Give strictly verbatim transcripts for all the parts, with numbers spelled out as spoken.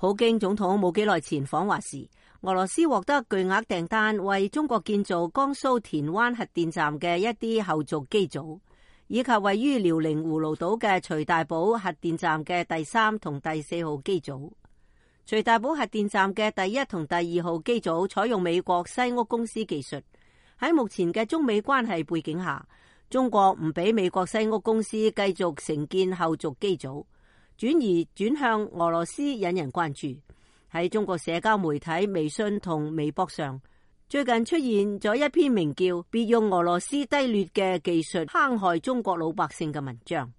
普京總統冇幾耐前訪華時，俄羅斯獲得巨額訂單，為中國建造江蘇田灣核電站嘅一啲後續機組，以及位於遼寧葫蘆島嘅徐大寶核電站嘅第三同第四號機組。徐大寶核電站嘅第一同第二號機組採用美國西屋公司技術。喺目前嘅中美關係背景下，中國唔俾美國西屋公司繼續承建後續機組，轉而轉向俄羅斯，引人關注。喺中國社交媒體微信同微博上，最近出現咗一篇名叫《別用俄羅斯低劣嘅技術坑害中國老百姓》嘅文章。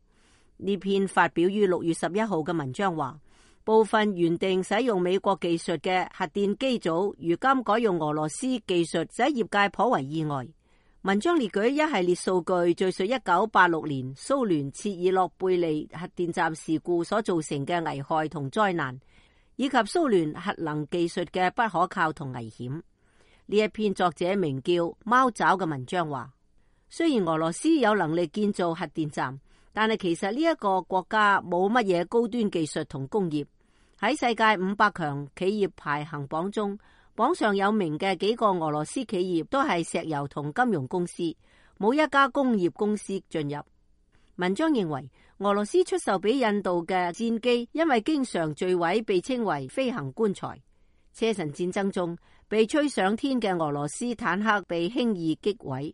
呢篇發表於六月十一號嘅文章話，部分原定使用美國技術嘅核電機組，如今改用俄羅斯技術，使業界頗為意外。文章列舉一系列數據，敘述一九八六年蘇聯切爾諾貝利核電站事故所造成嘅危害同災難，以及蘇聯核能技術嘅不可靠同危險。呢一篇作者名叫貓爪嘅文章話，雖然俄羅斯有能力建造核電站，但係其實呢一個國家冇乜嘢高端技術同工業。喺世界五百強企業排行榜中，榜上有名嘅幾個俄羅斯企業都係石油同金融公司，冇一家工業公司進入。文章認為，俄羅斯出售俾印度嘅戰機因為經常墜毀，被稱為飛行棺材。車臣戰爭中被吹上天嘅俄羅斯坦克被輕易擊毀。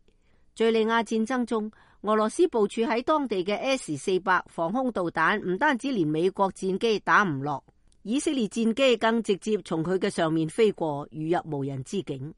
敘利亞戰爭中，俄羅斯部署喺當地嘅 S 四百防空導彈唔單止連美國戰機打唔落，以色列戰機更直接從佢嘅上面飛過，如入無人之境。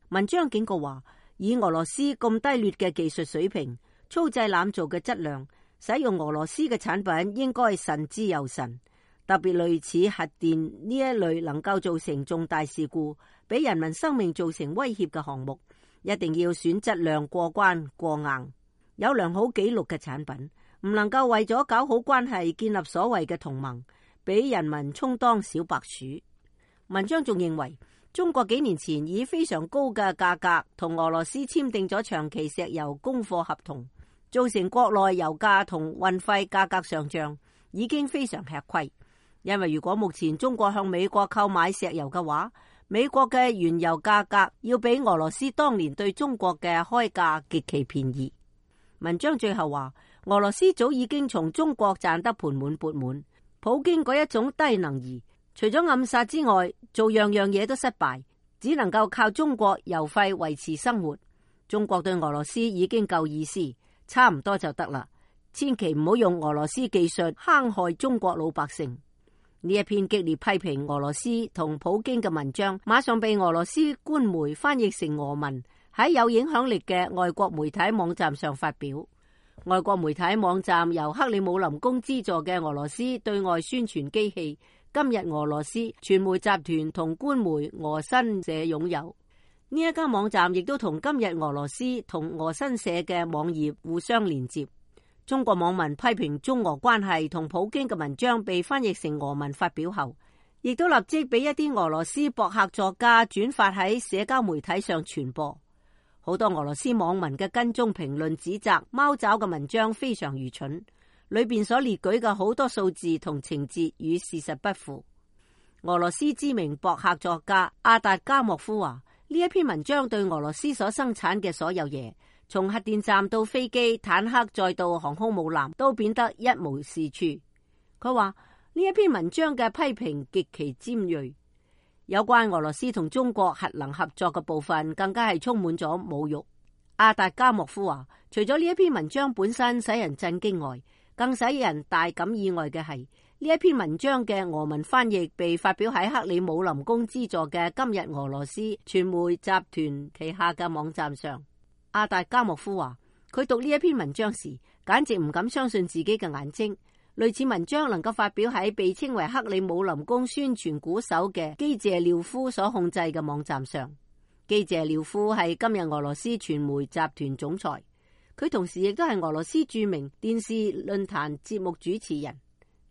文章警告話，以俄羅斯咁低劣嘅技術水平、粗製濫造嘅質量，使用俄羅斯嘅產品應該慎之又慎。特別類似核電呢一類能夠造成重大事故、俾人民生命造成威脅嘅項目，一定要選質量過關過硬、有良好紀錄嘅產品，唔能夠為咗搞好關係、建立所謂嘅同盟，俾人民充當小白鼠。文章仲認為，中國幾年前以非常高嘅價格同俄羅斯簽訂咗長期石油供貨合同，造成國內油價同運費價格上漲，已經非常吃虧。因為如果目前中國向美國購買石油嘅話，美國嘅原油價格要比俄羅斯當年對中國嘅開價極其便宜。文章最後話，俄羅斯早已經從中國賺得盆滿缽滿，普京嗰一種低能兒，除咗暗殺之外，做樣樣嘢都失敗，只能夠靠中國油費維持生活。中國對俄羅斯已經夠意思，差唔多就得啦，千祈唔好用俄羅斯技術坑害中國老百姓。呢一篇激烈批評俄羅斯同普京嘅文章，馬上被俄羅斯官媒翻譯成俄文，喺有影響力嘅外國媒體網站上發表。外國媒體網站由克里姆林宮資助嘅俄羅斯對外宣傳機器今日俄羅斯傳媒集團同官媒俄新社擁有。呢一家網站亦都同今日俄羅斯同俄新社嘅網頁互相連接。中國網民批評中俄關係同普京嘅文章被翻譯成俄文發表後，亦都立即俾一啲俄羅斯博客作家轉發喺社交媒體上傳播。好多俄羅斯網民嘅跟蹤評論指責貓爪嘅文章非常愚蠢，裏邊所列舉嘅好多數字同情節與事實不符。俄羅斯知名博客作家阿達加莫夫話，呢一篇文章對俄羅斯所生產嘅所有嘢，從核電站到飛機、坦克，再到航空母艦，都變得一無是處。佢話呢一篇文章嘅批評極其尖銳，有關俄羅斯同中國核能合作嘅部分更加係充滿咗侮辱。阿達加莫夫話，除咗呢一篇文章本身使人震驚外，更使人大感意外嘅係呢一篇文章嘅俄文翻譯被發表喺克里姆林宮資助嘅今日俄羅斯傳媒集團旗下嘅網站上。阿達加莫夫話，佢讀呢一篇文章時，簡直唔敢相信自己嘅眼睛。類似文章能夠發表喺被稱為克里姆林宮宣傳鼓手嘅基謝廖夫所控制嘅網站上。基謝廖夫係今日俄羅斯傳媒集團總裁，佢同時亦都係俄羅斯著名電視論壇節目主持人。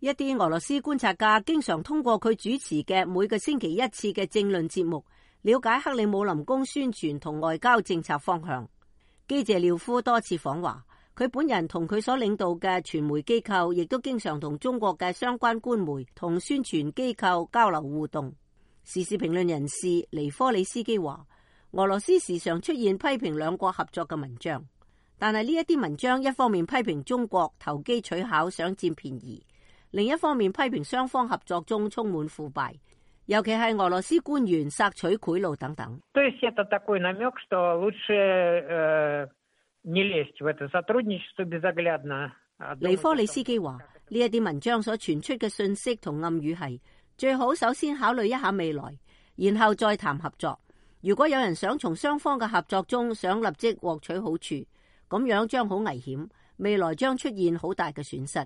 一啲俄羅斯觀察家經常通過佢主持嘅每個星期一次嘅政論節目，了解克里姆林宮宣傳同外交政策方向。基謝廖夫多次訪華，佢本人同佢所領導嘅傳媒機構，亦都經常同中國嘅相關官媒同宣傳機構交流互動。時事評論人士尼科里斯基話，俄羅斯時常出現批評兩國合作嘅文章，但係呢一啲文章一方面批評中國投機取巧，想佔便宜，另一方面批評雙方合作中充滿腐敗，尤其係俄羅斯官員索取賄賂等等。尼科里斯基話，呢一啲文章所傳出嘅信息同暗語係，最好首先考慮一下未來，然後再談合作。如果有人想從雙方嘅合作中想立即獲取好處，咁樣將好危險，未來將出現好大嘅損失。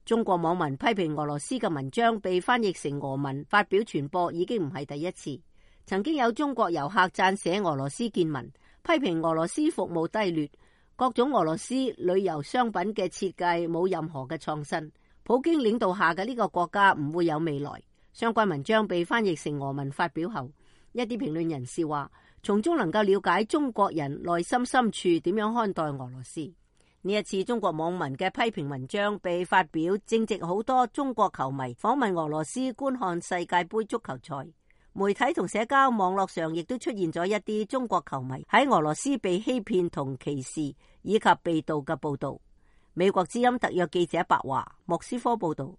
中國網民批評俄羅斯嘅文章被翻譯成俄文發表傳播已經唔係第一次。曾經有中國遊客撰寫俄羅斯見聞，批評俄羅斯服務低劣，各種俄羅斯旅遊商品嘅設計冇任何嘅創新，普京領導下嘅呢個國家唔會有未來。相關文章被翻譯成俄文發表後，一啲評論人士話，從中能夠了解中國人內心深處點樣看待俄羅斯。呢一次中國網民嘅批評文章被發表，正值好多中國球迷訪問俄羅斯觀看世界盃足球賽，媒體同社交網絡上亦都出現咗一啲中國球迷喺俄羅斯被欺騙同歧視以及被盜嘅報道。美國之音特約記者白華莫斯科報道。